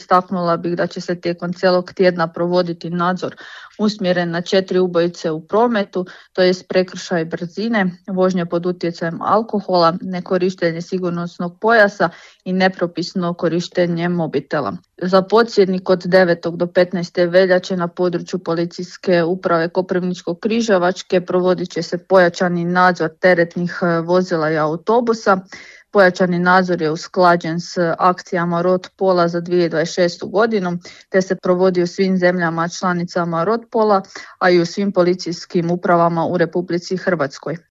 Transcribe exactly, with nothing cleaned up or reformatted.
istaknula bih da će se tijekom cijelog tjedna provoditi nadzor usmjeren na četiri ubojice u prometu, to jest prekršaj brzine, vožnje pod utjecajem alkohola, nekorištenje sigurnosnog pojasa i nepropisno korištenje mobitela. Za podsjetnik, od devetog do petnaeste veljače na području Policijske uprave Koprivničko-križevačke provodit će se pojačani nadzor teretnih vozila i autobusa. Pojačani nadzor je usklađen s akcijama Rotpola za dvije tisuće dvadeset šestu godinu, te se provodi u svim zemljama članicama Rotpola, a i u svim policijskim upravama u Republici Hrvatskoj.